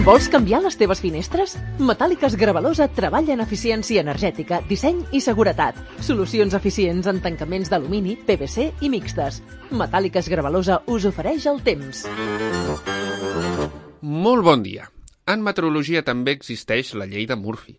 Vols canviar les teves finestres? Metàl·liques Gravalosa treballa en eficiència energètica, disseny i seguretat. Solucions eficients en tancaments d'alumini, PVC i mixtes. Metàl·liques Gravalosa us ofereix el temps. Molt bon dia. En meteorologia també existeix la llei de Murphy,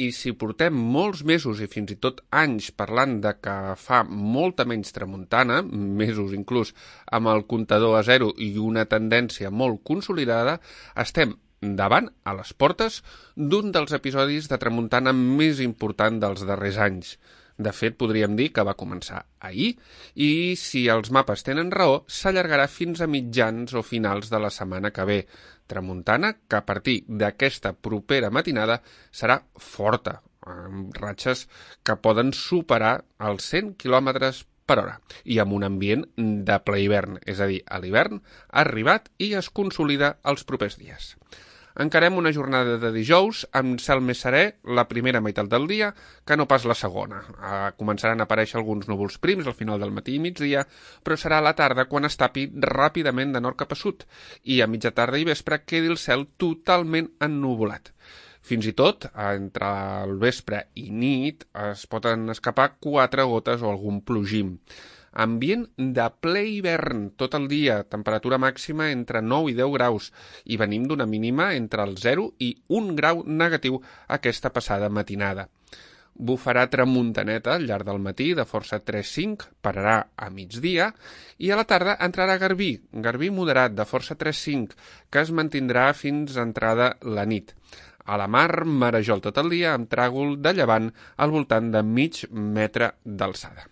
i si portem molts mesos i fins i tot anys parlant de que fa molta menys tramuntana, mesos inclús amb el comptador a zero i una tendència molt consolidada, estem davant, a les portes, d'un dels episodis de tramuntana més important dels darrers anys. De fet, podríem dir que va començar ahir i, si els mapes tenen raó, s'allargarà fins a mitjans o finals de la setmana que ve. Tramuntana que a partir d'aquesta propera matinada serà forta, amb ratxes que poden superar els 100 km per hora i amb un ambient de ple hivern, és a dir, a l'hivern ha arribat i es consolida els propers dies. Encarem una jornada de dijous amb cel més serè la primera meitat del dia que no pas la segona. Començaran a aparèixer alguns núvols prims al final del matí i migdia, però serà a la tarda quan es tapi ràpidament de nord cap a sud i a mitja tarda i vespre quedi el cel totalment ennuvolat. Fins i tot, entre el vespre i nit, es poden escapar 4 gotes o algun plogim. Ambient de ple hivern tot el dia, temperatura màxima entre 9 i 10 graus i venim d'una mínima entre el 0 i 1 grau negatiu aquesta passada matinada. Bufarà tramuntaneta al llarg del matí de força 3-5, pararà a migdia i a la tarda entrarà garbí moderat de força 3-5 que es mantindrà fins a entrada la nit. A la mar, marejol tot el dia amb tràgol de llevant al voltant de mig metre d'alçada.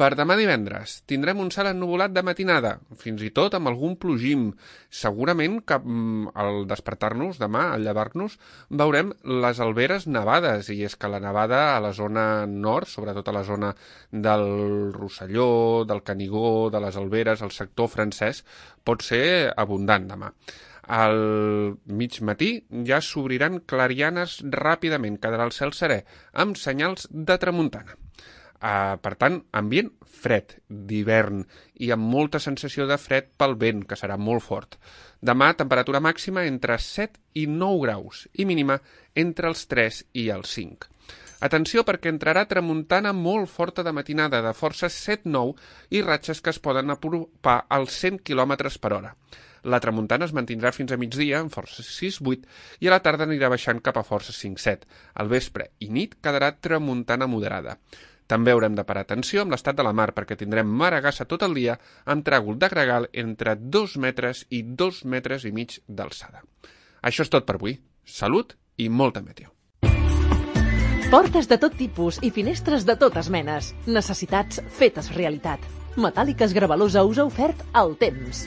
Per demà divendres tindrem un cel ennuvolat de matinada, fins i tot amb algun plogim. Segurament que al despertar-nos demà, al llevar-nos, veurem les alberes nevades, i és que la nevada a la zona nord, sobretot a la zona del Rosselló, del Canigó, de les Alberes, el sector francès, pot ser abundant demà. Al mig matí ja s'obriran clarianes ràpidament, quedarà el cel serè, amb senyals de tramuntana. Per tant, ambient fred, d'hivern, i amb molta sensació de fred pel vent, que serà molt fort. Demà, temperatura màxima entre 7 i 9 graus, i mínima entre els 3 i els 5. Atenció perquè entrarà tramuntana molt forta de matinada, de força 7-9, i ratxes que es poden apropar als 100 km per hora. La tramuntana es mantindrà fins a migdia, en força 6-8, i a la tarda anirà baixant cap a força 5-7. Al vespre i nit quedarà tramuntana moderada. També haurem de parar atenció amb l'estat de la mar perquè tindrem maragassa tot el dia amb tràgol de gregal entre 2 metres i 2 metres i mig d'alçada. Això és tot per avui. Salut i molta meteo. Portes de tot tipus i finestres de totes menes. Necessitats fetes realitat. Metàl·liques Gravalosa us ha ofert el temps.